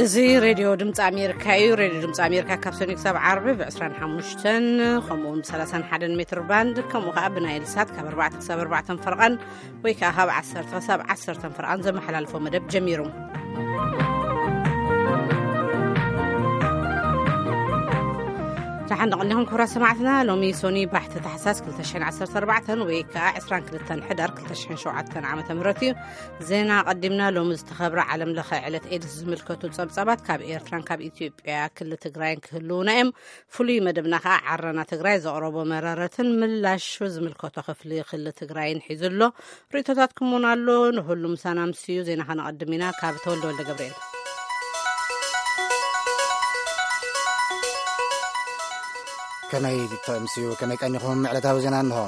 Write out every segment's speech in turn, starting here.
እዚ ሬድዮ ድምፂ ኣሜሪካ እዩ። ሬድዮ ድምፂ ኣሜሪካ ካብ ሰኒ ክሳብ ዓርቢ ብ25 ከምኡ እውን ብ31 ሜትር ባንድ፣ ከምኡ ከዓ ብናይል ሳት ካብ ኣርባዕተ ክሳብ ኣርባዕተ ፈርቓን ወይ ከዓ ካብ ዓሰርተ ክሳብ ዓሰርተ ፈርቓን ዘመሓላልፎ መደብ ጀሚሩ። ደሓን ደቐኒኹም ክቡራት ሰማዕትና። ሎሚ ሶኒ ባሕቲ ታሕሳስ ክልተ ሽሕን ዓሰርተ ኣርባዕተን ወይ ከዓ ዕስራን ክልተን ሕዳር ክልተ ሽሕን ሸውዓተን ዓመተ ምህረት እዩ። ዜና ቀዲምና። ሎሚ ዝተኸብረ ዓለም ለኸ ዕለት ኤድስ ዝምልከቱ ጸብጻባት ካብ ኤርትራን ካብ ኢትዮጵያ ክሊ ትግራይን ክህልውና እዮም። ፍሉይ መደብና ከዓ ዓረና ትግራይ ዘቕረቦ መረረትን ምላሹ ዝምልከቶ ክፍሊ ክሊ ትግራይን ሒዙ ኣሎ። ርእቶታትኩም እውን ኣሎ። ንሁሉ ምሳና ምስዩ ዜና ከነቐድም ኢና። ካብ ተወልደ ወልደ ገብርኤል። ከመይ ተምስዩ፣ ከመይ ቀኒኹም? ዕለታዊ ዜና እንሆ።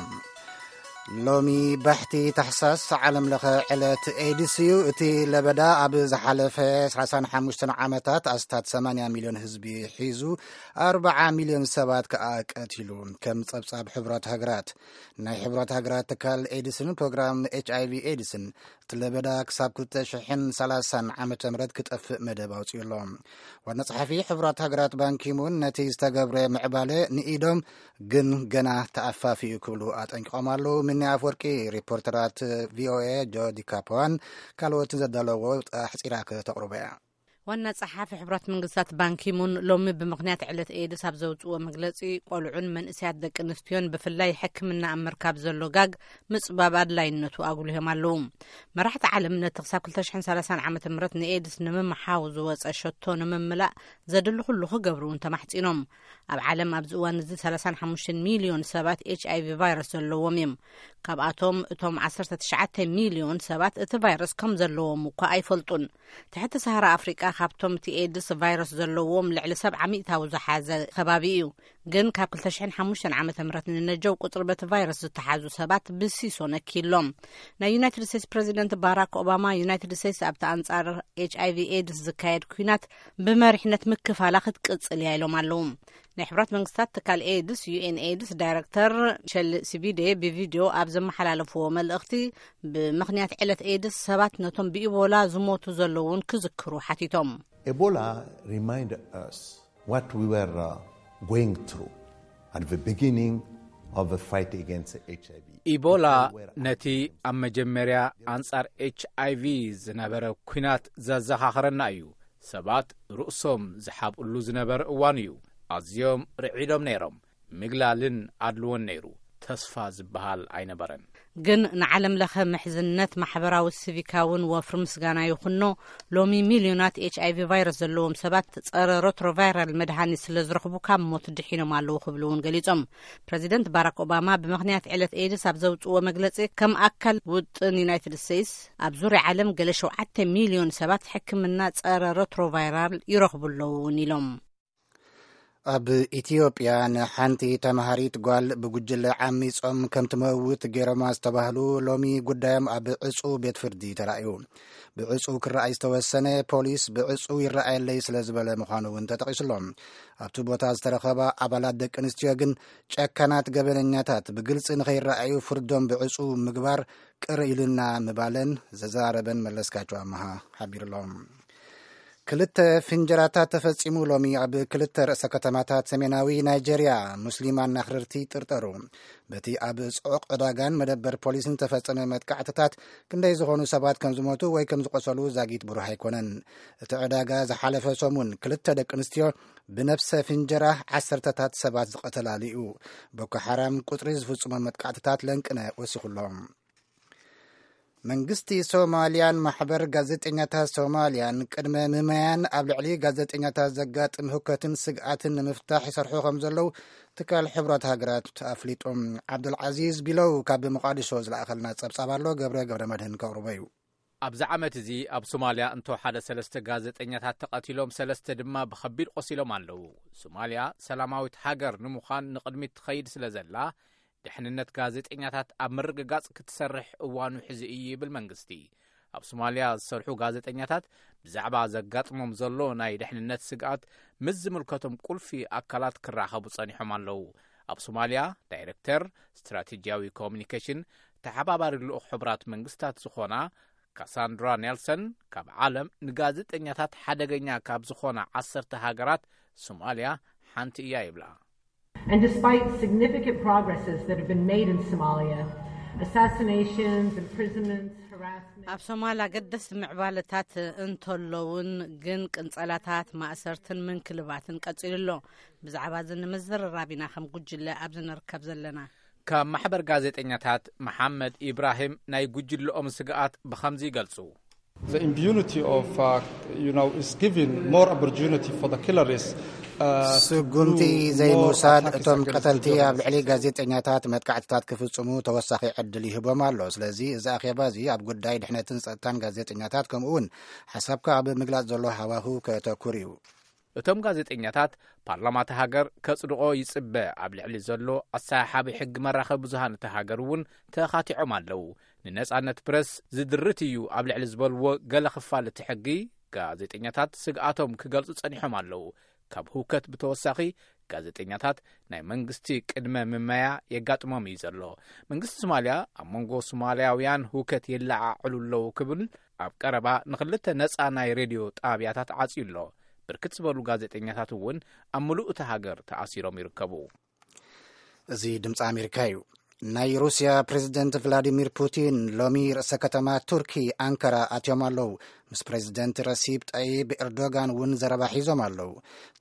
ሎሚ ባሕቲ ታሕሳስ ዓለም ለኸ ዕለት ኤድስ እዩ። እቲ ለበዳ ኣብ ዝሓለፈ ሰላሳን ሓሙሽተን ዓመታት ኣስታት ሰማንያ ሚልዮን ህዝቢ ሒዙ፣ ኣርብዓ ሚልዮን ሰባት ከኣ ቀቲሉ። ከም ጸብጻብ ሕብረት ሃገራት፣ ናይ ሕብረት ሃገራት ትካል ኤድስን ፕሮግራም ኤች ኣይ ቪ ኤድስን እቲ ለበዳ ክሳብ ክልተ ሽሕን ሰላሳን ዓመተ ምህረት ክጠፍእ መደብ ኣውጺኡ ኣሎ። ዋና ጸሓፊ ሕብራት ሃገራት ባንኪሙን ነቲ ዝተገብረ ምዕባለ ንኢዶም፣ ግን ገና ተኣፋፊኡ ክብሉ ኣጠንቂቖም ኣለዉ። ምኒ ኣፍወርቂ ሪፖርተራት ቪ ኦ ኤ ጆዲ ካፖዋን ካልኦትን ዘዳለዎ ኣሕጺራ ከተቕርቦ እያ። ዋና ጸሓፊ ሕብራት መንግስታት ባንኪሙን ሎሚ ብምኽንያት ዕለት ኤድስ ኣብ ዘውጽእዎ መግለጺ፣ ቆልዑን መንእሰያት ደቂ ኣንስትዮን ብፍላይ ሕክምና ኣብ ምርካብ ዘሎ ጋግ ምጽባብ ኣድላይነቱ ኣጉልሆም ኣለዉ። መራሕቲ ዓለም ነቲ ክሳብ ክልተ ሽሕን ሰላሳን ዓመተ ምህረት ንኤድስ ንምምሓው ዝወጸ ሸቶ ንምምላእ ዘድሊ ኩሉ ክገብሩ እውን ተማሕጺኖም። ኣብ ዓለም ኣብዚ እዋን እዚ ሰላሳን ሓሙሽተን ሚልዮን ሰባት ኤች ኣይ ቪ ቫይረስ ዘለዎም እዮም። ካብኣቶም እቶም ዓሰርተ ትሽዓተ ሚልዮን ሰባት እቲ ቫይረስ ከም ዘለዎም እኳ ኣይፈልጡን። ትሕቲ ሰሃራ ኣፍሪቃ ካብቶም እቲ ኤድስ ቫይረስ ዘለዎም ልዕሊ ሰብዓ ሚእታዊ ዝሓዘ ከባቢ እዩ። ግን ካብ ክልተ ሽሕን ሓሙሽተን ዓመተ ምህረት ንነጀው ቁጽሪ በቲ ቫይረስ ዝተሓዙ ሰባት ብሲሶ ነኪሎም። ናይ ዩናይትድ ስቴትስ ፕረዚደንት ባራክ ኦባማ፣ ዩናይትድ ስቴትስ ኣብቲ ኣንጻር ኤች ኣይ ቪ ኤድስ ዝካየድ ኲናት ብመሪሕነት ምክፋላ ክትቅጽል እያ ኢሎም ኣለዉ። ናይ ሕብራት መንግስታት ትካል ኤድስ፣ ዩ ኤን ኤድስ፣ ዳይረክተር ሸል ሲቢዴ ብቪድዮ ኣብ ዘመሓላለፍዎ መልእኽቲ፣ ብምኽንያት ዕለት ኤድስ ሰባት ነቶም ብኢቦላ ዝሞቱ ዘለውን ክዝክሩ ሓቲቶም። Ebola remind us what we were uh, going through at the beginning of the fight against H I V. ኢቦላ ነቲ ኣብ መጀመርያ ኣንጻር ኤች ኣይ ቪ ዝነበረ ኲናት ዘዘኻኽረና እዩ። ሰባት ርእሶም ዝሓብእሉ ዝነበረ እዋን እዩ። ኣዝዮም ርዒዶም ነይሮም። ምግላልን ኣድልዎን ነይሩ። ተስፋ ዝበሃል ኣይነበረን። ግን ንዓለም ለኸ ምሕዝነት ማሕበራዊ ሲቪካውን ወፍሪ ምስጋና ይኹኖ፣ ሎሚ ሚልዮናት ኤች ኣይ ቪ ቫይረስ ዘለዎም ሰባት ጸረ ሮትሮቫይራል መድሃኒት ስለ ዝረኽቡ ካብ ሞት ድሒኖም ኣለዉ ክብሉ እውን ገሊጾም። ፕረዚደንት ባራክ ኦባማ ብምኽንያት ዕለት ኤድስ ኣብ ዘውጽእዎ መግለጺ፣ ከም ኣካል ውጥን ዩናይትድ ስቴትስ ኣብ ዙርያ ዓለም ገለ ሸውዓተ ሚልዮን ሰባት ሕክምና ጸረ ሮትሮቫይራል ይረኽቡ ኣለዉ እውን ኢሎም። ኣብ ኢትዮጵያ ንሓንቲ ተማሃሪት ጓል ብጉጅለ ዓሚጾም ከም ትመውት ገይሮማ ዝተባህሉ ሎሚ ጉዳዮም ኣብ ዕጹው ቤት ፍርዲ ተራእዩ። ብዕጹው ክረኣይ ዝተወሰነ ፖሊስ ብዕጹው ይረኣየለይ ስለ ዝበለ ምዃኑ እውን ተጠቒሱሎም። ኣብቲ ቦታ ዝተረኸባ ኣባላት ደቂ ኣንስትዮ ግን ጨካናት ገበነኛታት ብግልጺ ንኸይረኣዩ ፍርዶም ብዕጹው ምግባር ቅር ኢሉና ምባለን ዘዘራረበን መለስካቸው ኣመሃ ሓቢሩሎም። ክልተ ፍንጀራታት ተፈጺሙ ሎሚ ኣብ ክልተ ርእሰ ከተማታት ሰሜናዊ ናይጀርያ ሙስሊም ኣናኽርርቲ ጥርጠሩ። በቲ ኣብ ጽዑቕ ዕዳጋን መደበር ፖሊስን ዝተፈጸመ መጥቃዕትታት ክንደይ ዝኾኑ ሰባት ከም ዝሞቱ ወይ ከም ዝቆሰሉ ዛጊት ብሩህ ኣይኮነን። እቲ ዕዳጋ ዝሓለፈ ሰሙን ክልተ ደቂ ኣንስትዮ ብነፍሰ ፍንጀራ ዓሰርተታት ሰባት ዝቐተላሉ እዩ። ቦኮ ሓራም ቁጽሪ ዝፍጽሞ መጥቃዕትታት ለንቅነ ወሲኹሎም። መንግስቲ ሶማልያን ማሕበር ጋዜጠኛታት ሶማልያን ቅድመ ምማያን ኣብ ልዕሊ ጋዜጠኛታት ዘጋጥም ህውከትን ስግኣትን ንምፍታሕ ይሰርሑ ከም ዘለዉ ትካል ሕብራት ሃገራት ኣፍሊጦም። ዓብዱልዓዚዝ ቢለው ካብ መቃዲሾ ዝለኣኸልና ጸብጻብ ኣሎ፣ ገብረ ገብረ መድህን ከቕርቦ እዩ። ኣብዚ ዓመት እዚ ኣብ ሶማልያ እንቶ ሓደ ሰለስተ ጋዜጠኛታት ተቐቲሎም፣ ሰለስተ ድማ ብኸቢድ ቆሲሎም ኣለዉ። ሶማልያ ሰላማዊት ሃገር ንምዃን ንቕድሚት ትኸይድ ስለ ዘላ፣ ድሕንነት ጋዜጠኛታት ኣብ ምርግጋጽ ክትሰርሕ እዋኑ ሕዚ እዩ ይብል መንግስቲ። ኣብ ሶማልያ ዝሰርሑ ጋዜጠኛታት ብዛዕባ ዘጋጥሞም ዘሎ ናይ ድሕንነት ስግኣት ምስ ዝምልከቶም ቁልፊ ኣካላት ክራኸቡ ጸኒሖም ኣለዉ። ኣብ ሶማልያ ዳይረክተር ስትራቴጂያዊ ኮሙኒኬሽን ተሓባባሪ ልኡኽ ሕቡራት መንግስታት ዝኾና ካሳንድራ ኔልሰን ካብ ዓለም ንጋዜጠኛታት ሓደገኛ ካብ ዝኾና ዓሰርተ ሃገራት ሶማልያ ሓንቲ እያ ይብላ። And despite significant progresses that have been made in Somalia, assassinations, imprisonments, harassment. ኣብ ሶማል ኣገደስቲ ምዕባለታት እንተለውን፣ ግን ቅንጸላታት፣ ማእሰርትን ምንክልባትን ቀጺሉ ኣሎ። ብዛዕባ እዚ ንምዝርራብ ኢና ከም ጉጅለ ኣብዚ ንርከብ ዘለና። ካብ ማሕበር ጋዜጠኛታት መሓመድ ኢብራሂም ናይ ጉጅለኦም ስግኣት ብኸምዚ ይገልጹ። The impunity of, uh, you know, is giving more opportunity for the killers. Uh, to ስጉምቲ do more ዘይምውሳድ attacks እቶም against ቀተልቲ the ኣብ ልዕሊ journalists. ጋዜጠኛታት መጥቃዕትታት ክፍጽሙ ተወሳኺ ዕድል ይህቦም ኣሎ። ስለዚ እዚ ኣኼባ እዚ ኣብ ጉዳይ ድሕነትን ጸጥታን ጋዜጠኛታት ከምኡ እውን ሓሳብካ ኣብ ምግላጽ ዘሎ ሃዋሁ ከተኩር እዩ። እቶም ጋዜጠኛታት ፓርላማ እቲ ሃገር ከጽድቆ ይጽበ ኣብ ልዕሊ ዘሎ ኣሰሓሓቢ ሕጊ መራኸቢ ብዙሃን እቲ ሃገር እውን ተኻቲዖም ኣለዉ። ንነጻነት ፕረስ ዝድርት እዩ ኣብ ልዕሊ ዝበልዎ ገለ ክፋል እቲ ሕጊ፣ ጋዜጠኛታት ስግኣቶም ክገልጹ ጸኒሖም ኣለዉ። ካብ ህውከት ብተወሳኺ፣ ጋዜጠኛታት ናይ መንግስቲ ቅድመ ምመያ የጋጥሞም እዩ ዘሎ። መንግስቲ ሶማልያ ኣብ መንጎ ሶማልያውያን ህውከት የለዓዕሉ ኣለዉ ክብል ኣብ ቀረባ ንኽልተ ነጻ ናይ ሬድዮ ጣብያታት ዓጽዩ ኣሎ። ብርክት ዝበሉ ጋዜጠኛታት እውን ኣብ ምሉእ እታ ሃገር ተኣሲሮም ይርከቡ። እዚ ድምፂ ኣሜሪካ እዩ። ናይ ሩስያ ፕሬዝደንት ቭላዲሚር ፑቲን ሎሚ ርእሰ ከተማ ቱርኪ ኣንካራ ኣትዮም ኣለዉ። ምስ ፕሬዝደንት ረሲብ ጠይብ ኤርዶጋን እውን ዘረባ ሒዞም ኣለዉ።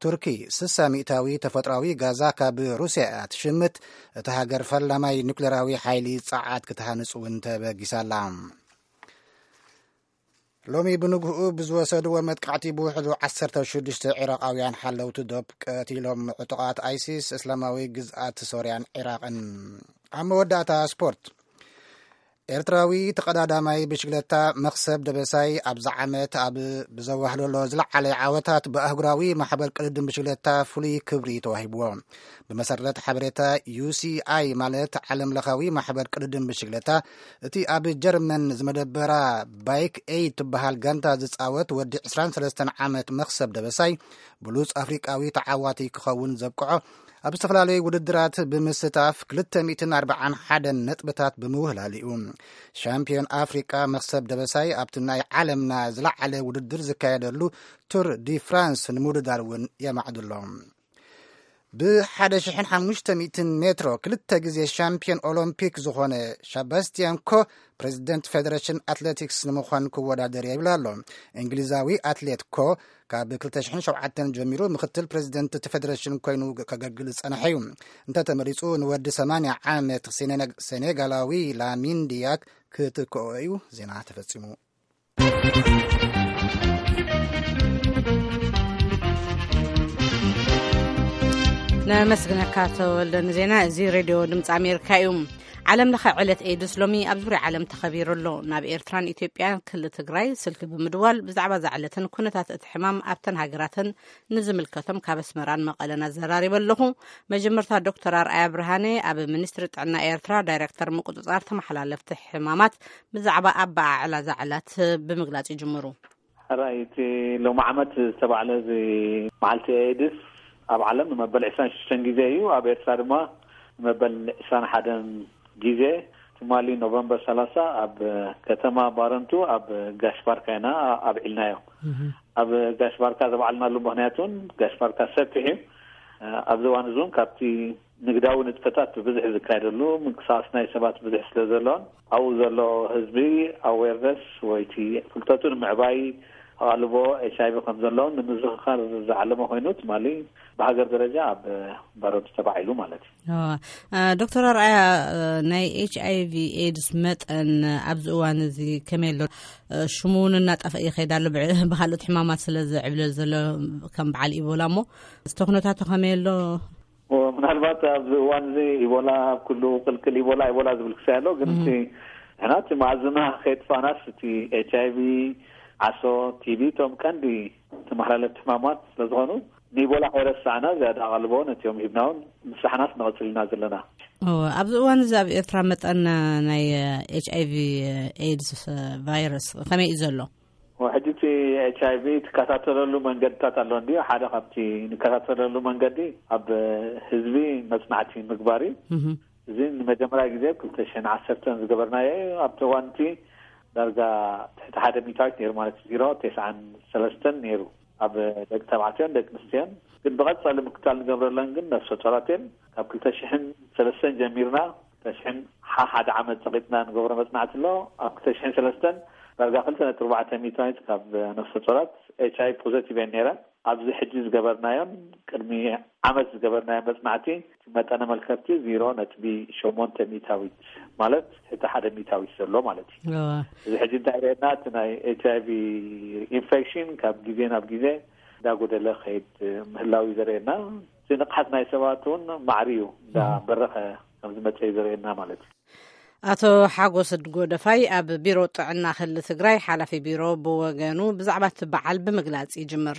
ቱርኪ ስሳ ሚእታዊ ተፈጥሯዊ ጋዛ ካብ ሩስያ እያ ትሽምት። እታ ሃገር ፈላማይ ኒኩሌራዊ ሓይሊ ጸዓት ክትሃንጽ እውን ተበጊሳ ኣላ። ሎሚ ብንግህኡ ብዝወሰድዎ መጥቃዕቲ ብውሕዱ ዓሰርተ ሽዱሽተ ዒራቃውያን ሓለውቲ ዶብ ቀቲሎም። ዕጡቓት ኣይሲስ እስላማዊ ግዝኣት ሶርያን ዒራቕን። ኣብ መወዳእታ ስፖርት፣ ኤርትራዊ ተቐዳዳማይ ብሽግለታ መኽሰብ ደበሳይ ኣብዚ ዓመት ኣብ ብዘዋህለሎ ዝለዓለ ዓወታት ብኣህጉራዊ ማሕበር ቅድድም ብሽግለታ ፍሉይ ክብሪ ተዋሂብዎ። ብመሰረት ሓበሬታ ዩሲኣይ ማለት ዓለም ለኻዊ ማሕበር ቅድድም ብሽግለታ፣ እቲ ኣብ ጀርመን ዝመደበራ ባይክ ኤይድ ትበሃል ጋንታ ዝጻወት ወዲ ዕስራን ሰለስተን ዓመት መኽሰብ ደበሳይ ብሉጽ ኣፍሪቃዊ ተዓዋቲ ክኸውን ዘብቅዖ ኣብ ዝተፈላለዩ ውድድራት ብምስታፍ ክልተ ሚእትን ኣርባዓን ሓደን ነጥብታት ብምውህላል እዩ። ሻምፒዮን ኣፍሪቃ መኽሰብ ደበሳይ ኣብቲ ናይ ዓለምና ዝለዓለ ውድድር ዝካየደሉ ቱር ዲ ፍራንስ ንምውድዳር እውን የማዕድሎ። ብ ሓደ ሽሕን ሓሙሽተ ሚእትን ሜትሮ ክልተ ግዜ ሻምፒዮን ኦሎምፒክ ዝኾነ ሻባስቲያን ኮ ፕሬዚደንት ፌደሬሽን ኣትሌቲክስ ንምዃን ክወዳደር ይብል ኣሎ። እንግሊዛዊ ኣትሌት ኮ ካብ ክልተ ሽሕን ሸውዓተን ጀሚሩ ምክትል ፕሬዚደንት እቲ ፌደሬሽን ኮይኑ ከገልግል ዝጸንሐ እዩ። እንተተመሪጹ ንወዲ ሰማንያ ዓመት ሴኔ-፣ ሴኔጋላዊ ላሚን ዲያክ ክትክኦ እዩ። ዜና ተፈጺሙ። ነመስግነካ ተወልደ ንዜና። እዚ ሬድዮ ድምፂ ኣሜሪካ እዩ። ዓለም ለኸ ዕለት ኤድስ ሎሚ ኣብ ዙሪያ ዓለም ተኸቢሩ ኣሎ። ናብ ኤርትራን ኢትዮጵያን ክልል ትግራይ ስልኪ ብምድዋል ብዛዕባ እዛ ዕለትን ኩነታት እቲ ሕማም ኣብተን ሃገራትን ንዝምልከቶም ካብ ኣስመራን መቐለን ኣዘራሪበ ኣለኹ። መጀመርታ ዶክተር ኣርኣያ ብርሃነ ኣብ ሚኒስትሪ ጥዕና ኤርትራ ዳይሬክተር ምቁፅፃር ተመሓላለፍቲ ሕማማት ብዛዕባ ኣበዓዕላ እዛ ዕለት ብምግላፅ ይጅምሩ። ሕራይ እቲ ሎሚ ዓመት ዝተባዕለ እዚ መዓልቲ ኤድስ ኣብ ዓለም ንመበል ዕስራን ሽዱሽተን ግዜ እዩ። ኣብ ኤርትራ ድማ ንመበል ዕስራን ሓደን ግዜ ትማሊ ኖቨምበር ሰላሳ ኣብ ከተማ ባረንቱ ኣብ ጋሽ ባርካ ኢና ኣብዒልናዮ። ኣብ ጋሽ ባርካ ዘብዓልናሉ ምኽንያት እውን ጋሽ ባርካ ሰፊሕ እዩ። ኣብዚ እዋን እዚ እውን ካብቲ ንግዳዊ ንጥፈታት ብብዝሒ ዝካየደሉ ምንቅስቃስ ናይ ሰባት ብዙሕ ስለ ዘሎን ኣብኡ ዘሎ ህዝቢ ኣዌርነስ ወይ እቲ ፍልጠቱ ንምዕባይ ኣቓልቦ ኤች ኣይ ቪ ከም ዘለውን ንምዝኽኻር ዝዓለመ ኮይኑ ትማሊ ብሃገር ደረጃ ኣብ ባረንቱ ተባዒሉ ማለት እዩ። ዶክተር ኣርኣያ፣ ናይ ኤች ኣይ ቪ ኤድስ መጠን ኣብዚ እዋን እዚ ከመይ ኣሎ? ሽሙ እውን እናጠፍአ ይኸይድ ኣሎ። ብካልኦት ሕማማት ስለ ዝዕብለል ዘሎ ከም በዓል ኢቦላ እሞ እቲ ኩነታቱ ከመይ ኣሎ? ምናልባት ኣብዚ እዋን እዚ ኢቦላ ኣብ ኩሉ ቅልቅል ኢቦላ ኢቦላ ዝብል ክሳይ ኣሎ። ግን እቲ ንሕና እቲ መኣዝና ከየጥፋእናስ እቲ ኤች ኣይ ቪ፣ ዓሶ፣ ቲ ቢ እቶም ቀንዲ ተመሓላለፍቲ ሕማማት ስለ ዝኾኑ ንኢቦላ ከይረሳዕና ዝያዳ ኣቓልቦ ነቲኦም ሂብና እውን ምሳሕናስ ንቐፅል ኢና ዘለና። ኣብዚ እዋን እዚ ኣብ ኤርትራ መጠን ናይ ኤች ኣይ ቪ ኤድስ ቫይረስ ከመይ እዩ ዘሎ? ሕጂ እቲ ኤች ኣይ ቪ ትከታተለሉ መንገድታት ኣሎ እንድዩ። ሓደ ካብቲ ንከታተለሉ መንገዲ ኣብ ህዝቢ መፅናዕቲ ምግባር እዩ። እዚ ንመጀመርያ ግዜ ኣብ ክልተ ሽሕን ዓሰርተን ዝገበርናዮ እዩ። ኣብቲ እዋን እቲ ዳርጋ ትሕቲ ሓደ ሚታዊት ነይሩ፣ ማለት ዜሮ ተስዓን ሰለስተን ነይሩ ኣብ ደቂ ተባዕትዮን ደቂ ኣንስትዮን። ግን ብቐጻሊ ምክታል ንገብረለን ግን ነፍሰ ጾራት እየን። ካብ ክልተ ሽሕን ሰለስተን ጀሚርና ክልተ ሽሕን ሓ ሓደ ዓመት ጸቒጥና ንገብሮ መጽናዕቲ ኣሎ። ኣብ ክልተ ሽሕን ሰለስተን ዳርጋ ክልተ ነጥቢ ኣርባዕተ ሚታዊት ካብ ነፍሰ ጾራት ኤች ኣይ ፖዘቲቭ እየን ነይረን። ኣብዚ ሕጂ ዝገበርናዮን ቅድሚ ዓመት ዝገበርናዮ መጽናዕቲ፣ እቲ መጠነ መልከፍቲ ዜሮ ነጥቢ ሸሞንተ ሚታዊት፣ ማለት ትሕቲ ሓደ ሚታዊት ዘሎ ማለት እዩ። እዋ። እዚ ሕጂ እንታይ የርእየና? እቲ ናይ ኤች ኣይ ቪ ኢንፌክሽን ካብ ግዜ ናብ ግዜ እንዳጎደለ ከይድ ምህላው እዩ ዘርእየና። እቲ ንቕሓት ናይ ሰባት እውን ማዕሪ እዩ፣ እንዳበረኸ ከም ዝመጸ እዩ ዘርእየና ማለት እዩ። ኣቶ ሓጎስ ጎደፋይ ኣብ ቢሮ ጥዕና ክልል ትግራይ ሓላፊ ቢሮ ብወገኑ ብዛዕባ እቲ በዓል ብምግላጽ ይጅምር።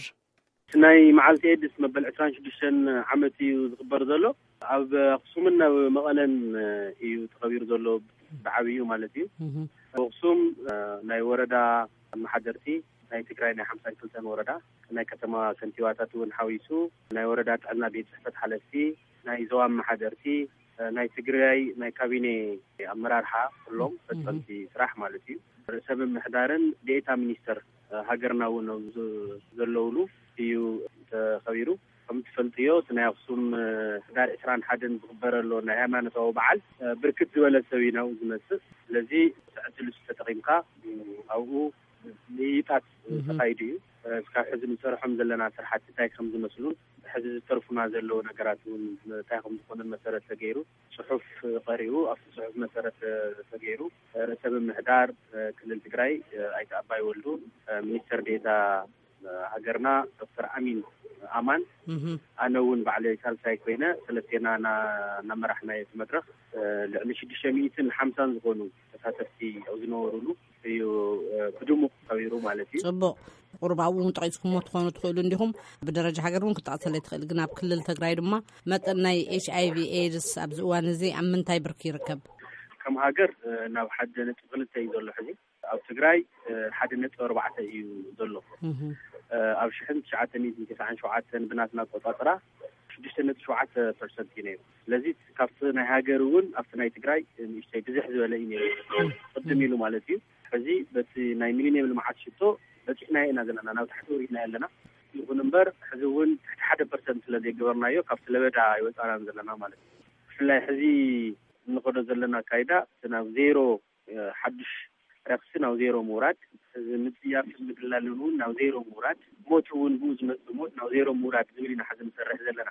ናይ መዓልቲ ኤድስ መበል ዕስራን ሽዱሽተን ዓመት እዩ ዝኽበር ዘሎ። ኣብ ኣኽሱምን ኣብ መቐለን እዩ ተኸቢሩ ዘሎ፣ ብዓብዩ ማለት እዩ። ኣብ ኣኽሱም ናይ ወረዳ ኣመሓደርቲ፣ ናይ ትግራይ ናይ ሓምሳን ክልተን ወረዳ፣ ናይ ከተማ ከንቲባታት እውን ሓዊሱ፣ ናይ ወረዳ ጥዕና ቤት ጽሕፈት ሓለፍቲ፣ ናይ ዞባ ኣመሓደርቲ፣ ናይ ትግራይ ናይ ካቢኔ ኣመራርሓ፣ ኩሎም ፈጸምቲ ስራሕ ማለት እዩ። ርእሰ ምምሕዳርን ዴኤታ ሚኒስተር ሃገርና እውን ኣብዚ ዘለውሉ እዩ ተኸቢሩ። ከም ትፈልጥዮ፣ እቲ ናይ ኣኽሱም ሕዳር ዕስራን ሓደን ዝኽበር ኣሎ ናይ ሃይማኖታዊ በዓል፣ ብርክት ዝበለ ሰብ እዩ ናብኡ ዝመጽእ። ስለዚ፣ እቲ ዕድል እሱ ተጠቒምካ ኣብኡ ምይይጣት ተኻይዱ እዩ። እስካብ ሕዚ ንሰርሖም ዘለና ስራሕቲ እንታይ ከም ዝመስሉን፣ ሕዚ ዝተርፉና ዘለዉ ነገራት እውን እንታይ ከም ዝኾኑን መሰረት ተገይሩ፣ ጽሑፍ ቀሪቡ፣ ኣብቲ ጽሑፍ መሰረት ተገይሩ፣ ርእሰ ምምሕዳር ክልል ትግራይ ኣይተ ኣባይ ወልዱ፣ ሚኒስትር ዴኤታ ሃገርና ዶክተር ኣሚን ኣማን፣ ኣነ እውን ባዕለይ ሳልሳይ ኮይነ፣ ሰለስቴና እና-፣ እናመራሕናዮ እቲ መድረኽ፣ ልዕሊ ሽዱሽተ ሚእትን ሓምሳን ዝኾኑ ተሳተፍቲ ኣብ ዝነበሩሉ እዩ፣ ብድሙቕ ተኸቢሩ ማለት እዩ። ጽቡቕ። ቁሩብ ኣብኡ እውን ጠቒስኩሞ ትኾኑ ትኽእሉ እንዲኹም። ብደረጃ ሃገር እውን ክትጠቕሰለይ ትኽእል፣ ግን ኣብ ክልል ትግራይ ድማ መጠን ናይ ኤች ኣይ ቪ ኤድስ ኣብዚ እዋን እዚ ኣብ ምንታይ ብርኪ ይርከብ? ከም ሃገር፣ ናብ ሓደ ነጥቢ ክልተ እዩ ዘሎ ሕዚ። ኣብ ትግራይ፣ ሓደ ነጥቢ ኣርባዕተ እዩ ዘሎ። ኣብ ሽሕን ትሽዓተ ሚእትን ተስዓን ሸውዓተን ብናትና ኣቆጻጽራ ሽዱሽተ ነጥቢ ሸውዓተ ፐርሰንት እዩ ነይሩ። ስለዚ ካብቲ ናይ ሃገር እውን ኣብቲ ናይ ትግራይ ንእሽተይ ብዝሕ ዝበለ እዩ ነይሩ፣ ቅድም ኢሉ ማለት እዩ። ሕዚ በቲ ናይ ሚሊኒየም ልምዓት ሽቶ በፂሕናዮ ኢና ዘለና፣ ናብ ታሕቲ ወሪድናዮ ኣለና። ይኹን እምበር፣ ሕዚ እውን ትሕቲ ሓደ ፐርሰንት ስለ ዘይገበርናዮ፣ ካብቲ ለበዳ ኣይወፃናን ዘለና ማለት እዩ። ብፍላይ ሕዚ እንኸዶ ዘለና ኣካይዳ፣ እቲ ናብ ዜሮ፣ ሓዱሽ ረኽሲ ናብ ዜሮ ምውራድ፣ እዚ ምጽያፍን ምግላልን እውን ናብ ዜሮ ምውራድ፣ ሞት እውን ብኡ ዝመጽእ ሞት ናብ ዜሮ ምውራድ ዝብል ኢና ሕዚ ንሰርሕ ዘለና።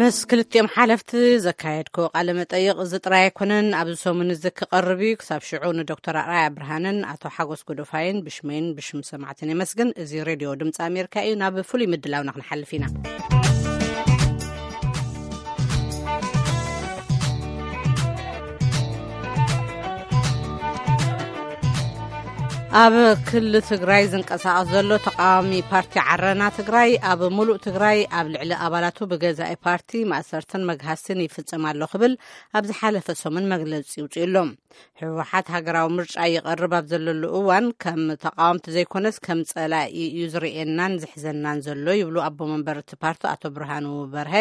ምስ ክልቲኦም ሓለፍቲ ዘካየድኮ ቃለ መጠይቕ እዚ ጥራይ ኣይኮነን፣ ኣብዚ ሰሙን እዚ ክቐርብ እዩ። ክሳብ ሽዑ ንዶክተር ኣርኣያ ብርሃንን ኣቶ ሓጎስ ጎዶፋይን ብሽመይን ብሽም ሰማዕትን የመስግን። እዚ ሬድዮ ድምፂ ኣሜሪካ እዩ። ናብ ፍሉይ ምድላውና ክንሓልፍ ኢና። ኣብ ክልል ትግራይ ዝንቀሳቐስ ዘሎ ተቃዋሚ ፓርቲ ዓረና ትግራይ፣ ኣብ ሙሉእ ትግራይ ኣብ ልዕሊ ኣባላቱ ብገዛኢ ፓርቲ ማእሰርትን መግሃስትን ይፍጽም ኣሎ ክብል ኣብ ዝሓለፈ ሰሙን መግለጺ ይውጽእ ኣሎ። ህወሓት ሃገራዊ ምርጫ ይቐርብ ኣብ ዘለሉ እዋን፣ ከም ተቃወምቲ ዘይኮነስ ከም ጸላኢ እዩ ዝርእየናን ዝሕዘናን ዘሎ ይብሉ ኣቦ መንበር እቲ ፓርቲ ኣቶ ብርሃኑ በርሀ።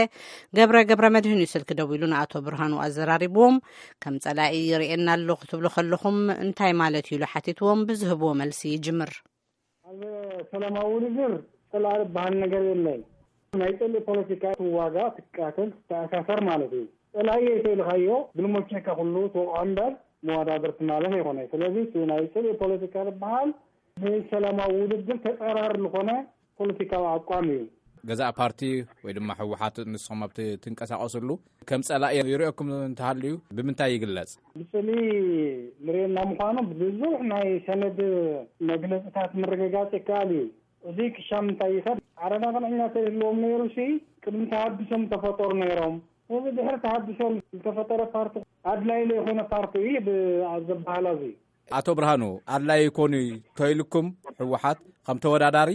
ገብረ ገብረ መድህን እዩ ስልኪ ደዊሉ ንኣቶ ብርሃኑ ኣዘራሪብዎም። ከም ጸላኢ ይርእየና ኣሎ ክትብሉ ከለኹም እንታይ ማለት እዩ ኢሉ ሓቲትዎም፣ ብዝህብዎ መልሲ ይጅምር። ኣብ ሰላማዊ ውድድር ጸላኢ ዝበሃል ነገር የለን። ናይ ጽልኢ ፖለቲካ ትዋጋእ፣ ትቃተል፣ ትተኣሳሰር ማለት እዩ። ጸላኢ እየ ተኢልካዮ፣ ግልሞቼካ ኩሉ ትወቕዖ እምበር መወዳድርቲ ማለት ኣይኮነ። ስለዚ እቲ ናይ ጽልኢ ፖለቲካ ዝበሃል ብሰላማዊ ውድድር ተጻራሪ ዝኾነ ፖለቲካዊ ኣቋም እዩ። ገዛእ ፓርቲ ወይ ድማ ህወሓት ንስኹም ኣብቲ ትንቀሳቐስሉ ከም ጸላኢ ይርእየኩም እንተሃልዩ ብምንታይ ይግለጽ? ብጽልኢ ንርእየና ምዃኑ ብዙሕ ናይ ሰነድ መግለጽታት ምርግጋጽ ይከኣል እዩ። እዚ ክሻም እንታይ ይኸድ? ዓረና ቅንዕኛ ተዝህልዎም ነይሩ ሲ ቅድሚ ተሃድሶም ተፈጠሩ ነይሮም። እዚ ድሕሪ ተሃድሶ ዝተፈጠረ ፓርቲ ኣድላይ ዘይኮነ ፓርቲ እዩ ብ-፣ ኣብ ዝበሃል ኣብዚ። ኣቶ ብርሃኑ፣ ኣድላይ ይኮኑ ተይልኩም ህወሓት ከም ተወዳዳሪ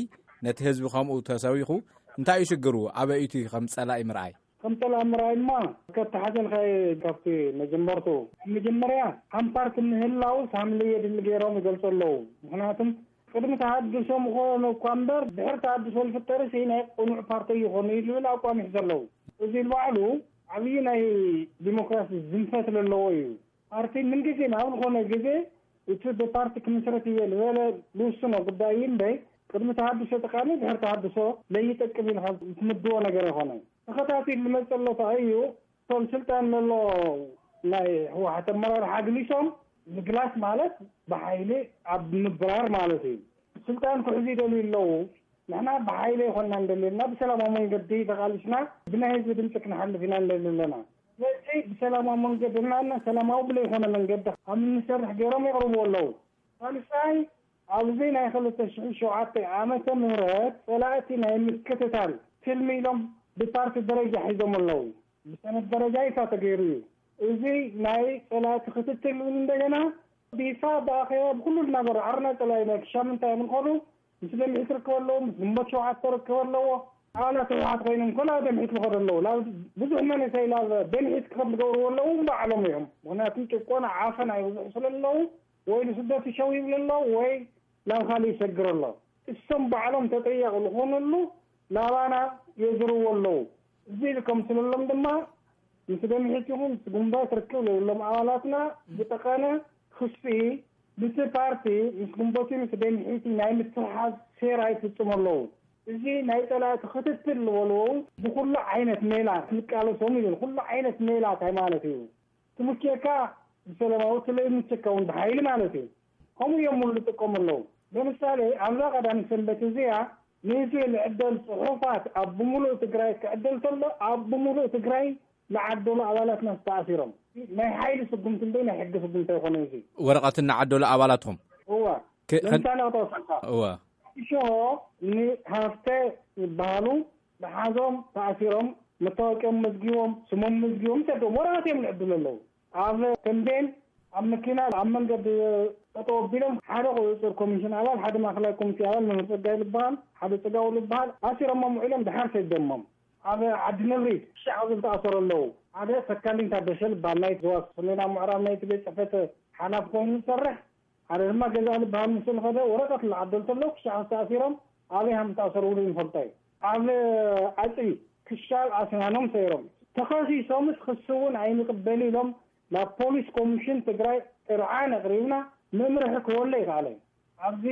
ነቲ ህዝቢ ከምኡ ተሰቢኹ እንታይ እዩ ሽግሩ? ኣበይ እቲ ከም ጸላኢ ምርኣይ? ከም ጸላኢ ምርኣይ ድማ ከተሓዘልካ እየ ካብቲ መጀመርቱ። መጀመርያ ከም ፓርቲ ምህላው ሳምል የድሊ ገይሮም ይገልጹ ኣለዉ። ምኽንያቱም ቅድሚ ተሃድሶ ምኾኑ እኳ እምበር ድሕሪ ተሃድሶ ዝፍጠር ሲ ናይ ቅኑዕ ፓርቲ ይኾኑ እዩ ዝብል ኣቋም ይሕዙ ኣለዉ። እዚ ባዕሉ ዓብዪ ናይ ዲሞክራሲ ዝንፈት ዘለዎ እዩ። ፓርቲ ምንግዜ ኣብ ዝኾነ ግዜ እቲ ብፓርቲ ክምስረት እየ ዝበለ ዝውስኖ ጉዳይ እዩ እምበይ፣ ቅድሚ ተሃድሶ ጠቃሚ፣ ድሕሪ ተሃድሶ ለይጠቅም ኢልካ ትምድቦ ነገር ኣይኮነን። ተኸታቲሉ ዝመፀ ኣሎ እንታይ እዩ? እቶም ስልጣን ዘሎ ናይ ህወሓት ኣመራርሓ ኣግሊሶም ምግላስ ማለት ብሓይሊ ኣብ ምብራር ማለት እዩ። ስልጣን ክሕዙ ይደልዩ ኣለዉ። ንሕና ብሓይሊ ኣይኮንና እንደልየና፣ ብሰላማዊ መንገዲ ተቓሊስና ብናይ ህዝቢ ድምፂ ክነሓልፍ ኢና እንደሊ ኣለና። ስለዚ ብሰላማዊ መንገዲ እና ሰላማዊ ብለይኮነ መንገዲ ከም እንሰርሕ ገይሮም የቕርቡ ኣለዉ። ሳልሳይ፣ ኣብዚ ናይ ክልተ ሽሕን ሸውዓተ ዓመተ ምህረት ጸላእቲ ናይ ምክትታል ትልሚ ኢሎም ብፓርቲ ደረጃ ሒዞም ኣለዉ። ብሰነድ ደረጃ ይፋ ተገይሩ እዩ። እዚ ናይ ጸላእቲ ክትትል እውን እንደገና ብይፋ ብኣኼባ ብኩሉ እናገሩ ዓርና ጸላኢ ናይ ክሻም እንታይ እዮም ንኸዱ ምስ ደምሒት ርከበ ኣለዎ፣ ምስ ግንቦት ሸውዓተ ርከበ ኣለዎ። ኣባላት ህወሓት ኮይኖም ኮላ ደምሒት ንኸዱ ኣለዎ። ላ ብዙሕ መንእሰይ ላ ደምሒት ክኸድ ዝገብርዎ ኣለዉ ባዕሎም እዮም። ምክንያቱ ጭቆና ዓፈና ይብዝሑ ስለ ኣለዉ ወይ ንስደት ይሸው ይብል ኣሎ ወይ ናብ ካልእ ይሰግር ኣሎ። እሶም ባዕሎም ተጠያቂ ዝኾነሉ ናባና የዝርዎ ኣለዉ። እዚ ኢሉ ከም ስለሎም ድማ ምስ ደምሒት ይኹን ምስ ግንቦት ርክብ ለብሎም ኣባላትና ብጠቀነ ክስኢ ምስቲ ፓርቲ ምስ ግንቦት ምስ ደምሒት ናይ ምትሕሓዝ ሴራ ይፍጽሙ ኣለዉ። እዚ ናይ ጸላእቲ ክትትል ዝበልዎ ብኩሉ ዓይነት ሜላ ክንቃለሶም ይብል። ኩሉ ዓይነት ሜላ እንታይ ማለት እዩ? ትምክየካ ብሰላማዊ ትለይ ምቸካ እውን ብሓይሊ ማለት እዩ። ከምኡ እዮም ሙሉ ዝጥቀሙ ኣለዉ። ለምሳሌ ኣብዛ ቀዳሚ ሰንበት እዚኣ ንህዝቢ ልዕደል ጽሑፋት ኣብ ብምሉእ ትግራይ ክዕደል ከሎ ኣብ ብምሉእ ትግራይ ዝዓደሉ ኣባላትና ዝተኣሲሮም ናይ ሓይሊ ስጉምቲ እንደ ናይ ሕጊ ስጉምቲ ኣይኮነ እዚ። ወረቐት እናዓደሉ ኣባላትኩም እዋ። ለምሳሌ ክተወሰካ እዋ። ሽሆ ንሃፍተ ይበሃሉ ብሓዞም ተኣሲሮም መታወቂኦም መዝጊቦም ስሞም መዝጊቦም ሰዶም ወረቐት እዮም ልዕድሉ ኣለዉ። ኣብ ተንቤን ኣብ መኪና ኣብ መንገዲ ጠጠው ኣቢሎም ሓደ ቁፅፅር ኮሚሽን ኣባል ሓደ ማእከላይ ኮሚቴ ኣባል መምህር ፀጋይ ዝበሃል ሓደ ፅጋው ዝበሃል ኣሲሮሞም ውዒሎም ድሓር ሰደሞም። ኣብ ዓዲ ነብሪ ክሻዕ ዝብል ተኣሰሩ ኣለዉ። ሓደ ተካሊን ታደሰ ዝበሃል ናይ ዞባ ሰሜናዊ ምዕራብ ናይቲ ቤት ፅሕፈት ሓላፊ ኮይኑ ዝሰርሕ ሓደ ድማ ገዛ ዝበሃል ምስሉ ከደ ወረቀት ዝዓደል ተሎ ክሻዕ ተኣሲሮም ኣበይ ሃም ተኣሰሩ እውን ይፈልጦ እዩ። ኣብ ኣፅቢ ክሻብ ኣስናኖም ሰይሮም ተኸሲሶምስ ክሲ እውን ኣይንቅበል ኢሎም ናብ ፖሊስ ኮሚሽን ትግራይ ጥርዓን ኣቕሪብና መምርሒ ክወለ ይከኣለ። ኣብዚ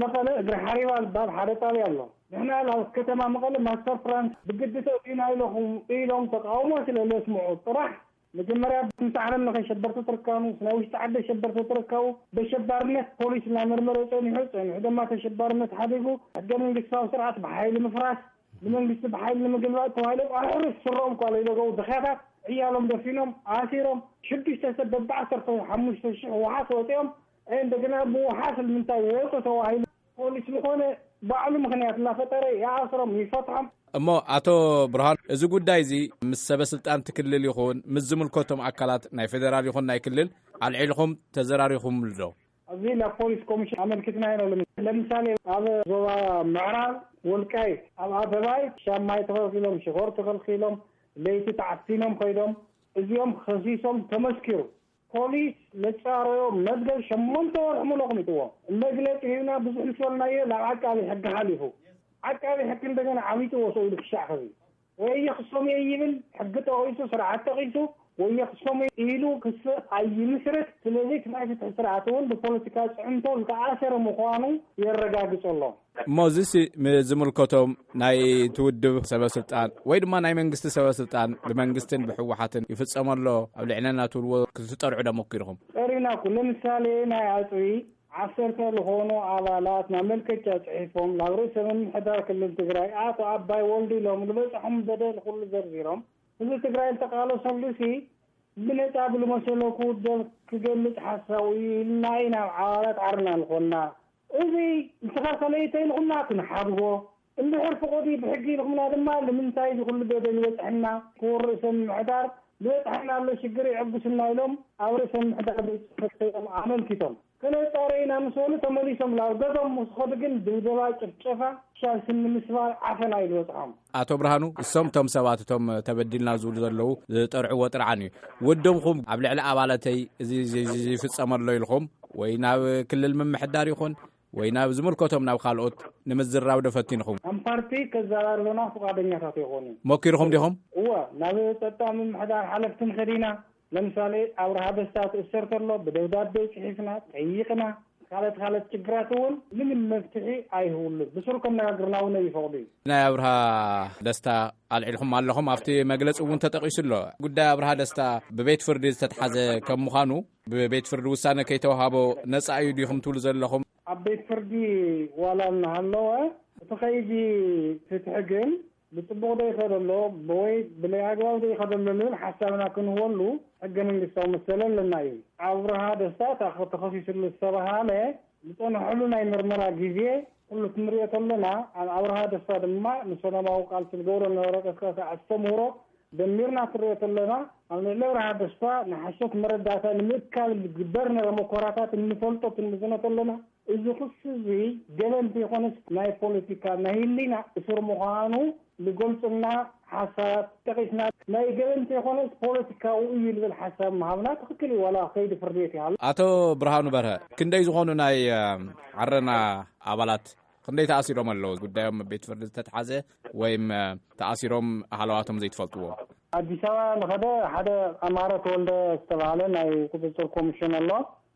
መቐለ እግሪ ሓሪባ ዝበሃል ሓደ ጣብያ ኣሎ። ንሕና ናብ ከተማ መቐለ ማስተር ፕላን ብግዲ ተእትዩና ኢለኹም ኢሎም ተቃውሞ ስለ ዘስምዑ ጥራሕ መጀመርያ ምስ ዓለም ለኸ ሸበርቲ ትርከቡ፣ ናይ ውሽጢ ዓዲ ሸበርቲ ትርከቡ፣ በሸባርነት ፖሊስ እናመርመረ ጸኒሑ፣ ጸኒሑ ድማ ተሸባርነት ሓዲጉ፣ ሕገ መንግስታዊ ስርዓት ብሓይሊ ምፍራስ፣ ንመንግስቲ ብሓይሊ ንምግልባጥ ተባሂሎም ኣሕሩስ ስረኦም እኳ ለይደገቡ ድኽያታት ዕያሎም ደፊኖም ኣሲሮም፣ ሽዱሽተ ሰብ በብዓሰርተ ሓሙሽተ ሽሕ ዋሓስ ወፂኦም፣ እንደገና ብዋሓስ ንምንታይ ወፁ ተባሂሉ ፖሊስ ዝኾነ ባዕሉ ምኽንያት እናፈጠረ ይኣስሮም ይፈትሖም። እሞ ኣቶ ብርሃን፣ እዚ ጉዳይ እዚ ምስ ሰበ ስልጣን ትክልል ይኹን ምስ ዝምልከቶም ኣካላት ናይ ፌዴራል ይኹን ናይ ክልል ኣልዒልኹም ተዘራሪኹምሉ ዶ? ኣብዚ ናብ ፖሊስ ኮሚሽን ኣመልኪትና ኢና። ለምሳሌ ኣብ ዞባ ምዕራብ ወልቃይት ኣብ ኣደባይ ሻማይ ተኸልኪሎም ሽኾር ተኸልኪሎም ለይቲ ተዓፊኖም ከይዶም እዚኦም ከሲሶም ተመስኪሩ። ፖሊስ መጻረዮ መዝገብ ሸሞንተ ወርሒ ሙሉ ኣቕሚጥዎ። መግለጺ ሂብና ብዙሕ ምስ በልናዮ ናብ ዓቃቢ ሕጊ ሓሊፉ። ዓቃቢ ሕጊ እንደገና ዓሚጥዎ ሰው ኢሉ ክሻዕ ከዚ ወይ የኽሶም እየ ይብል ሕጊ ጠቒሱ ስርዓት ጠቒሱ ወይ የኽሶም እየ ኢሉ ክሲ ኣይምስረት። ስለዚ እቲ ናይ ፍትሒ ስርዓት እውን ብፖለቲካ ጽዕንቶ ዝተኣሰረ ምዃኑ የረጋግጽ ኣሎ። እሞ እዚሲ ዝምልከቶም ናይ ትውድብ ሰበ ስልጣን ወይ ድማ ናይ መንግስቲ ሰበ ስልጣን ብመንግስትን ብህወሓትን ይፍጸም ኣሎ ኣብ ልዕለና ትብልዎ ክትጠርዑ ዶ ሞኪርኹም? ጠሪና ኩሉ ምሳሌ ናይ ኣፅቢ ዓሰርተ ዝኾኑ ኣባላት ማመልከቻ ፅሒፎም ናብ ርእሰ ምምሕዳር ክልል ትግራይ ኣቶ ኣባይ ወልዱ ኢሎም ዝበፅሖም በደል ኩሉ ዘርዚሮም ህዝቢ ትግራይ ዝተቃለሰሉ ሲ ብነፃ ብልመሰሎ ክውደብ ክገልፅ ሓሳቡ እዩ ኢልና ኢና ኣባላት ዓርና ዝኾንና። እዚ ዝተኸልከለ እዩ ተይልኹምና ክንሓድጎ እንድሕር ፍቆዲ ብሕጊ ኢልኹምና ድማ ንምንታይ እዚ ኩሉ በደል ይበፅሐና ክቡር ርእሰ ምምሕዳር ዝበፅሐና ኣሎ ሽግር የዕጉስና ኢሎም ኣብ ርእሰ ምምሕዳር ቤት ፅሕፈት ከይዶም ኣመልኪቶም ክነፃረ ኢና ምስ በሉ ተመሊሶም ናብ ገዞም ምስ ኸዱ ግን ድብደባ ጭፍጨፋ ሻል ስኒ ምስባር ዓፈና እዩ ዝበፅሖም። ኣቶ ብርሃኑ እሶም እቶም ሰባት እቶም ተበዲልና ዝብሉ ዘለዉ ዝጠርዕዎ ጥርዓን እዩ ውድምኹም ኣብ ልዕሊ ኣባላተይ እዚ ይፍፀመ ኣሎ ኢልኹም ወይ ናብ ክልል ምምሕዳር ይኹን ወይ ናብ ዝምልከቶም ናብ ካልኦት ንምዝራብ ዶ ፈቲንኹም? ከም ፓርቲ ከዘራርቡና ፍቓደኛታት ኣይኮኑን። ሞኪርኹም ዲኹም? እወ፣ ናብ ጸጥታ ምምሕዳር ሓለፍትን ከዲና። ለምሳሌ ኣብርሃ ደስታ ትእሰር ተሎ ብደብዳቤ ጽሒፍና ጠይቕና። ካልኦት ካልኦት ችግራት እውን ምንም መፍትሒ ኣይህብሉን። ብስሩ ከነጋግርና እውን ይፈቕዱ እዩ። ናይ ኣብርሃ ደስታ ኣልዒልኩም ኣለኹም፣ ኣብቲ መግለጺ እውን ተጠቒሱ ኣሎ። ጉዳይ ኣብርሃ ደስታ ብቤት ፍርዲ ዝተትሓዘ ከም ምዃኑ፣ ብቤት ፍርዲ ውሳነ ከይተዋሃቦ ነጻ እዩ ዲኹም ትብሉ ዘለኹም? ኣብ ቤት ፍርዲ ዋላ እናሃለወ፣ እቲ ከይዲ ፍትሒ ግን ብጽቡቕ ዶ ይኸደሎ ወይ ብለይ ኣግባብ ዶ ይኸደሎ ንብል ሓሳብና ክንህበሉ ሕገ መንግስታዊ መሰል ኣለና እዩ። ኣብርሃ ደስታ እታ ተኸሲስሉ ዝተባሃለ ዝጸንሐሉ ናይ ምርመራ ግዜ ኩሉ ክንሪኦ ከለና፣ ኣብ ኣብርሃ ደስታ ድማ ንሰላማዊ ቃልሲ ዝገብሮ ዝነበረ ቀስቃሲ ኣስተምህሮ ደሚርና ክንሪኦ ከለና፣ ኣብ ልዕሊ ኣብርሃ ደስታ ንሓሶት መረዳእታ ንምእካብ ዝግበር ዝነበረ መኮራታት እንፈልጦ ክንምዝኖ ከለና፣ እዚ ክሲ እዚ ገበን ዘይኮነስ ናይ ፖለቲካ ናይ ህሊና እስር ምዃኑ ዝገልጹልና ሓሳባት ጠቒስና፣ ናይ ገበን ዘይኮነስ ፖለቲካዊ እዩ ዝብል ሓሳብ ምሃብና ትኽክል እዩ፣ ዋላ ከይዲ ፍርዲ ቤት ይሃሉ። ኣቶ ብርሃኑ በርሀ፣ ክንደይ ዝኾኑ ናይ፣ እ፣ ዓረና ኣባላት ክንደይ ተኣሲሮም ኣለዉ? ጉዳዮም ኣብ ቤት ፍርዲ ዝተትሓዘ ወይም፣ እ፣ ተኣሲሮም ሃለዋቶም ዘይትፈልጥዎ? ኣዲስ ኣበባ ዝኸደ ሓደ ኣማረ ተወልደ ዝተባሃለ ናይ ቁጽጽር ኮሚሽን ኣሎ።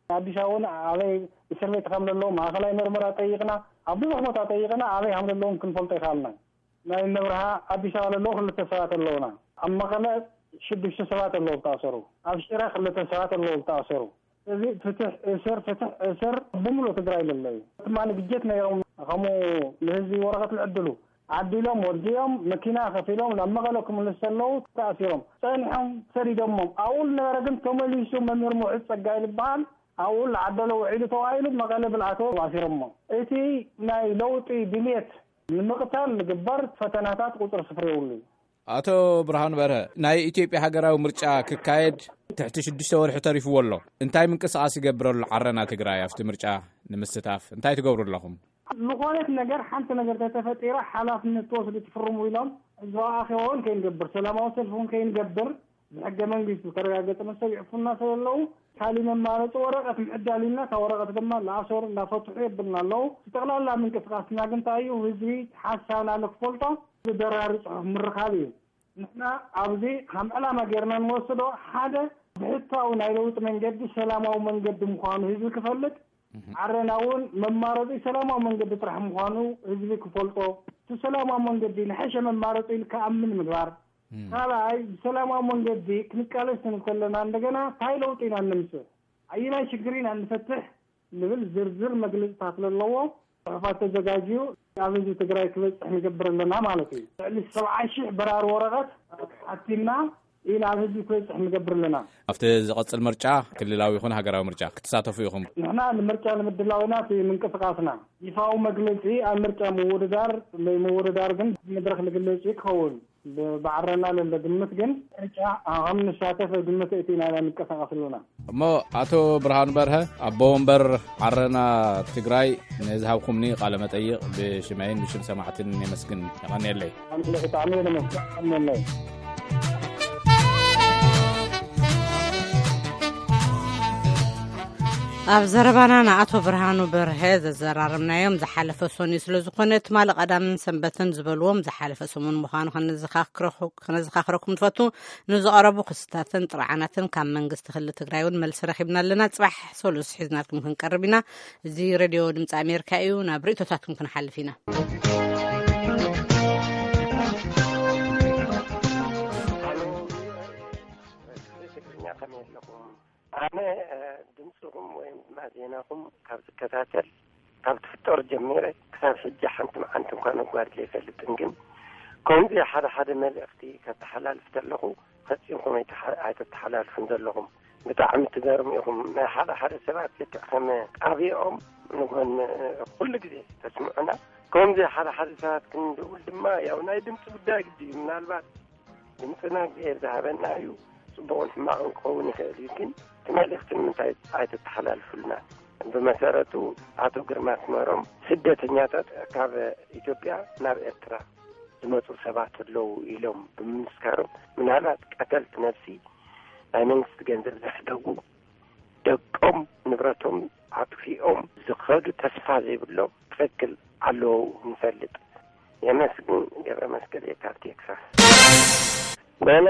ኣዲስ ኣበባ እውን ኣበይ እስር ቤት ከም ዘለዉ፣ ማእኸላይ መርመራ ጠይቕና፣ ኣብ ብዙሕ ቦታ ጠይቕና፣ ኣበይ ከም ዘለዉ እውን ክንፈልጦ ኣይከኣልናን። ናይ እነ ኣብርሃ ኣዲስ ኣበባ ዘለዉ ክልተ ሰባት ኣለዉና። ኣብ መቐለ ሽዱሽተ ሰባት ኣለዉ ዝተኣሰሩ። ኣብ ሽረ ክልተ ሰባት ኣለዉ ዝተኣሰሩ። እዚ ፍትሕ እስር፣ ፍትሕ እስር ብምሉእ ትግራይ ለሎ እዩ። ድማ ንግጀት ነይሮም፣ ከምኡ ንህዝቢ ወረቐት ልዕድሉ ዓዲሎም፣ ወዲኦም፣ መኪና ከፊሎም ናብ መቐለ ክምልሱ ከለዉ ተኣሲሮም። ጸኒሖም ሰዲዶሞም። ኣብኡ ዝነበረ ግን ተመሊሱ መምህር ምውዕዝ ጸጋይ ዝበሃል ኣብኡ ዝዓደሎ ውዒሉ ተባሂሉ መቐለ ብልኣቶ ኣሲሮሞ። እቲ ናይ ለውጢ ድልየት ንምቕታል ዝግበር ፈተናታት ቁጽሪ ስፍሪ የብሉ እዩ። ኣቶ ብርሃኑ በርሀ፣ ናይ ኢትዮጵያ ሃገራዊ ምርጫ ክካየድ ትሕቲ ሽዱሽተ ወርሒ ተሪፍዎ ኣሎ። እንታይ ምንቅስቓስ ይገብር ኣሎ ዓረና ትግራይ ኣብቲ ምርጫ ንምስታፍ? እንታይ ትገብሩ ኣለኹም? ዝኾነት ነገር፣ ሓንቲ ነገር ተተፈጢራ ሓላፍነት ትወስዱ ትፍርሙ ኢሎም ህዝባዊ ኣኼባ እውን ከይንገብር፣ ሰላማዊ ሰልፊ እውን ከይንገብር ብሕገ መንግስቲ ዝተረጋገጸ መሰል ይዕፉና ስለ ዘለዉ፣ ካልእ መማረፂ ወረቐት ምዕዳል ኢልና፣ እታ ወረቐት ድማ እናኣሰሩ እናፈትሑ የብልና ኣለዉ። ጠቕላላ ምንቅስቃስና ግን እንታይ እዩ? ህዝቢ ሓሳብና ንክፈልጦ ብበራሪ ጽሑፍ ምርኻብ እዩ። ንሕና ኣብዚ ከም ዕላማ ጌርና እንወስዶ ሓደ ብሕታዊ ናይ ለውጢ መንገዲ ሰላማዊ መንገዲ ምዃኑ ህዝቢ ክፈልጥ፣ ዓረና እውን መማረፂ ሰላማዊ መንገዲ ጥራሕ ምዃኑ ህዝቢ ክፈልጦ፣ እቲ ሰላማዊ መንገዲ ንሐሸ መማረፂ ኢሉ ክኣምን ምግባር። ካልኣይ፣ ብሰላማዊ መንገዲ ክንቃለስ እንከለና እንደገና እንታይ ለውጢ ኢና እነምፅእ፣ ኣየናይ ሽግር ኢና እንፈትሕ ንብል ዝርዝር መግለፅታት ዘለዎ ጽሑፋት ተዘጋጅዩ ኣብ ህዝቢ ትግራይ ክበፅሕ ንገብር ኣለና ማለት እዩ። ልዕሊ ሰብዓ ሺሕ በራሪ ወረቐት ሓቲምና ኢና ኣብ ህዝቢ ክበፅሕ ንገብር ኣለና። ኣብቲ ዝቐጽል ምርጫ፣ ክልላዊ ይኹን ሃገራዊ ምርጫ ክትሳተፉ ኢኹም? ንሕና ንምርጫ ንምድላው ኢና እቲ ምንቅስቃስና። ይፋዊ መግለጺ ኣብ ምርጫ ምውድዳር፣ ምውድዳር ግን መድረኽ ዝግለጽ እዩ ክኸውን። ብ-፣ ብዓረና ለለ ግምት ግን ምርጫ ከም ንሳተፍ ግምት እቲ ኢና ንንቀሳቐስ ኣለና። እሞ ኣቶ ብርሃኑ በርሀ፣ ኣቦ ወንበር ዓረና ትግራይ፣ ንዝሃብኩምኒ ቃለ መጠይቕ ብሽመይን ብሽም ሰማዕትን የመስግን። የቐንየለይ። ኣነ ብጣዕሚ እየ ነመስግን። የቐንየለይ። ኣብ ዘረባና ንኣቶ ብርሃኑ በርሀ ዘዘራረብናዮም ዝሓለፈ ሰኑይ ስለ ዝኾነ፣ ትማሊ ቀዳምን ሰንበትን ዝበልዎም ዝሓለፈ ሰሙን ምዃኑ ከነዘኻኽረኹ-፣ ከነዘኻኽረኩም ንፈቱ። ንዝቐረቡ ክስታትን ጥርዓናትን ካብ መንግስቲ ክልል ትግራይ እውን መልሲ ረኺብና ኣለና። ጽባሕ ሰሉስ ሒዝናልኩም ክንቀርብ ኢና። እዚ ሬድዮ ድምፂ ኣሜሪካ እዩ። ናብ ርእይቶታትኩም ክንሓልፍ ኢና። ትግርኛ ከመይ ኣለኹም? ኣነ፣ እ፣ ድምፅኹም ወይም ድማ ዜናኹም ካብ ዝከታተል፣ ካብ ትፍጠር ጀሚረ ክሳብ ሕጂ ሓንቲ መዓልቲ እንኳን ኣጓዲለ ኣይፈልጥን። ግን ከምዚ ሓደ ሓደ መልእኽቲ ከተሓላልፍ ከለኹ ፈጺምኩም ኣይተሓ-፣ ኣይተተሓላልፉን ዘለኹም። ብጣዕሚ ትገርሙ ኢኹም። ናይ ሓደ ሓደ ሰባት ልክዕ ከም ጣብያኦም ንጎን ኩሉ ግዜ ተስምዑና። ከምዚ ሓደ ሓደ ሰባት ክንድውል ድማ ያው ናይ ድምፂ ጉዳይ ግዲ እዩ። ምናልባት ድምፅና እግዚኣብሔር ዝሃበና እዩ። ፅቡቕን ሕማቕን ክኸውን ይኽእል እዩ። ግን እቲ መልእኽቲ ንምንታይ ኣይተተሓላልፉልና? ብመሰረቱ ኣቶ ግርማ ኣስመሮም ስደተኛታት ካብ ኢትዮጵያ ናብ ኤርትራ ዝመፁ ሰባት ኣለዉ ኢሎም ብምምስካሮም፣ ምናልባት ቀተልቲ ነፍሲ ናይ መንግስቲ ገንዘብ ዘሕደጉ፣ ደቆም ንብረቶም ኣጥፊኦም ዝኸዱ ተስፋ ዘይብሎም ትኽክል ኣለዉ ንፈልጥ። የመስግን። ገብረ መስቀል እየ ካብ ቴክሳስ። ሄሎ፣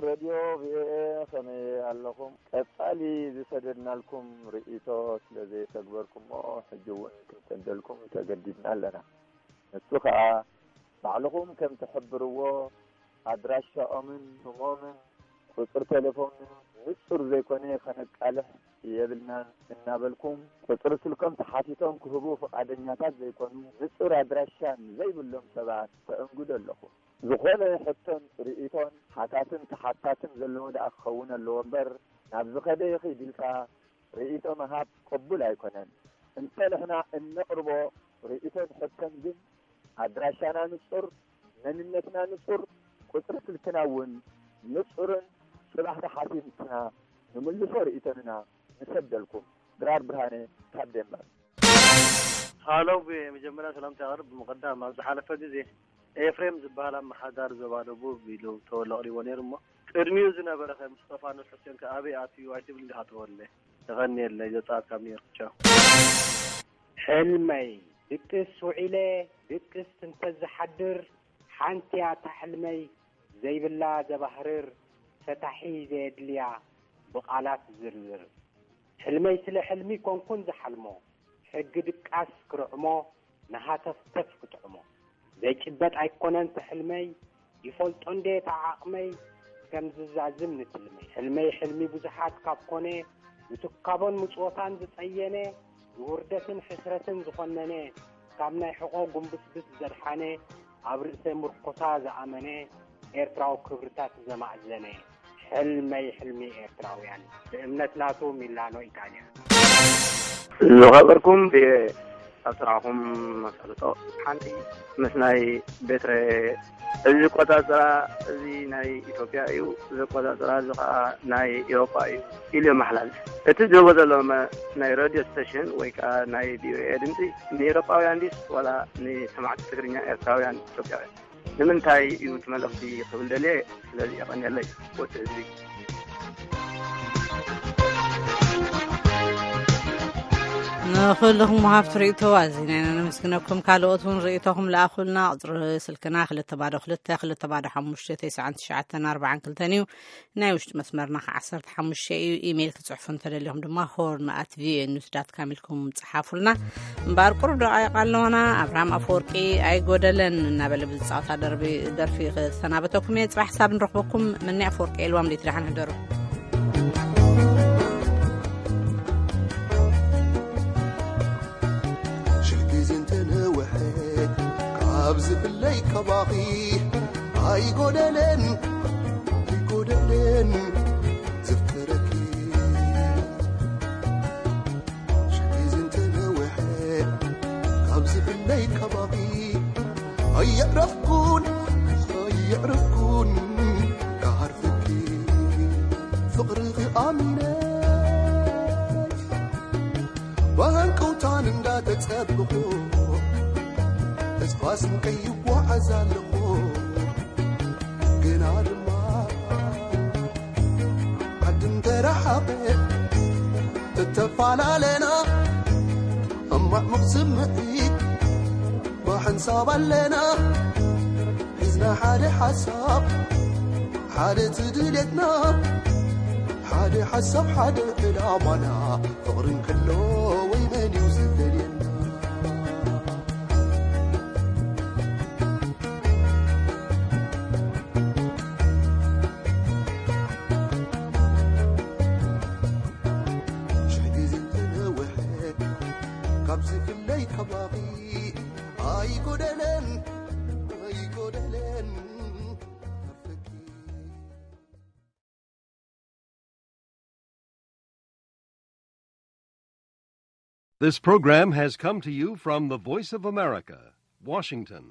ረድዮ ቪኦኤ፣ ከመይ ኣለኹም? ቀጻሊ ዝሰደድናልኩም ርእይቶ ስለ ዘየተግበርኩሞ፣ ሕጂ እውን ክንሰደልኩም ተገዲድና ኣለና። ንሱ ከኣ፣ ባዕልኹም ከም ትሕብርዎ፣ ኣድራሻኦምን ስሞምን ቁጽሪ ቴሌፎንን ንጹር ዘይኮነ ከነቃልሕ የብልናን እናበልኩም፣ ቁጽሪ ስልኮም ተሓቲቶም ክህቡ ፍቓደኛታት ዘይኮኑ፣ ንጹር ኣድራሻን ዘይብሎም ሰባት ተእንግዱ ኣለኹም። ዝኾነ ሕቶን ርእይቶን ሓታትን ተሓታትን ዘለዎ ደኣ ክኸውን ኣለዎ እምበር፣ ናብ ዝኸደ ይኺድ ኢልካ ርእይቶ ምሃብ ቅቡል ኣይኮነን። እንተ ንሕና እነቕርቦ ርእይቶን ሕቶን ግን ኣድራሻና ንጹር፣ መንነትና ንጹር፣ ቁጽሪ ስልክና እውን ንጹርን ጽባሕ ተሓቲትና ንምልሶ ርእይቶንና ንሰደልኩም። ድራር ብርሃነ ካብ ዴንማርክ። ሃሎ፣ ብመጀመርያ ሰላምታ የቕርብ። ብምቕዳም ኣብ ዝሓለፈ ግዜ ኤፍሬም ዝበሃል ኣመሓዳሪ ዞባ ደቡብ ኢሉ ተወሎ ኣቕሪቦ ነይሩ እሞ፣ ቅድሚኡ ዝነበረ ከ ምስጠፋኖስ ሕሴን ከ ኣበይ ኣትዩ ኣይትብል እንዲኻ ተወለ? የቐንየለይ። ዘጻት ካብ ኒውዮርክ። ቻው። ሕልመይ ድቅስ ውዒለ ድቅስ እንተዝሓድር፣ ሓንቲ እያ እታ ሕልመይ ዘይብላ ዘባህርር፣ ፈታሒ ዘየድልያ ብቓላት ዝርዝር። ሕልመይ ስለ ሕልሚ ኮንኩን ዝሓልሞ፣ ሕጊ ድቃስ ክርዕሞ፣ ንሃተፍተፍ ክጥዕሞ። ዘይጭበጥ ኣይኮነን እቲ ሕልመይ፣ ይፈልጦ እንዴ እቲ ዓቕመይ፣ ከም ዝዛዝም ንትልመይ። ሕልመይ ሕልሚ ብዙሓት ካብ ኮነ፣ ንትካቦን ምጽወታን ዝጸየነ፣ ንውርደትን ሕስረትን ዝኾነነ፣ ካብ ናይ ሕቖ ጉንብስብስ ዘድሓነ፣ ኣብ ርእሰ ምርኮሳ ዝኣመነ፣ ኤርትራዊ ክብርታት ዘማእዘነ። ሕልመይ ሕልሚ ኤርትራውያን፣ ብእምነት ናቱ ሚላኖ ኢጣልያ። ዝኸበርኩም ብ-፣ ኣብ ስራሕኹም ኣሳልጦ። ሓንቲ ምስ ናይ ቤትረ እዚ ቆጻጽራ፣ እዚ ናይ ኢትዮጵያ እዩ፣ እዚ ቆጻጽራ እዚ ኸኣ ናይ ኤውሮጳ እዩ ኢሉ የመሓላልፍ። እቲ ዝህቦ ዘሎ መ-፣ ናይ ሬድዮ ስቴሽን ወይ ከኣ ናይ ቪኦኤ ድምጺ ንኤውሮጳውያን ድዩስ ዋላ ንሰማዕቲ ትግርኛ ኤርትራውያን ኢትዮጵያውያን? ንምንታይ እዩ እቲ መልእኽቲ ክብል ደልየ። ስለዚ የቐንየለይ ወዲ ህዝቢ። ንኹልኹም ወሃብቲ ርእይቶ ኣዚና ኢና ነመስግነኩም። ካልኦት እውን ርእይቶኹም ለኣኹልና። ቁጽሪ ስልክና ክልተ ባዶ ክልተ፣ ክልተ ባዶ ሓሙሽተ፣ ተስዓን ትሽዓተን ኣርባዓን ክልተን እዩ። ናይ ውሽጢ መስመርና ከ ዓሰርተ ሓሙሽተ እዩ። ኢሜይል ክጽሕፉ እንተደሊኹም ድማ ሆርን ኣት ቪኦኤ ኒውስ ዳት ካም ኢልኩም ጸሓፉልና። እምበኣር ቁሩብ ደቓይቕ ኣለዋና። ኣብርሃም ኣፈወርቂ ኣይጎደለን እናበለ ብዝጻወታ ደርቢ-፣ ደርፊ ክሰናበተኩም እየ። ጽባሕ ሓሳብ ንረኽበኩም። መኒ ኣፈወርቂ የልዋም ሌት ደሓን ሕደሩ። ሽሕ ግዜ እንተነውሐ ካብ ዝፍለይ ካባኺ ኣይጎደለን፣ ኣይጎደለን ዘፍቅረኪ። ሽሕ ግዜ እንተነውሐ ካብ ዝፍለይ ካባኺ ኣየዕረፍኩን፣ ኣየዕረፍኩን ክሃርፈኪ ፍቕርኺ ኣሚነ። ብሃንቀውታን እንዳተጸበኹ ተስፋ ስንቀይ ይጓዓዝ ኣለኹ። ግና ድማ ዓዲ እንተረሓቐ እተፈላለና፣ እማዕሙቕ ስምዒት ብሓንሳብ ኣለና። ሒዝና ሓደ ሓሳብ፣ ሓደ እቲ ድሌትና፣ ሓደ ሓሳብ፣ ሓደ ዕላማና። ፍቕሪ እንከሎ ወይ መን እዩ ዝፈልየና? ሽሕ ግዜ እንተነውሐ ካብ ዝፍለይ ከባቢ ኣይጎደለን፣ ኣይጎደለን። This program has come to you from the Voice of America, Washington.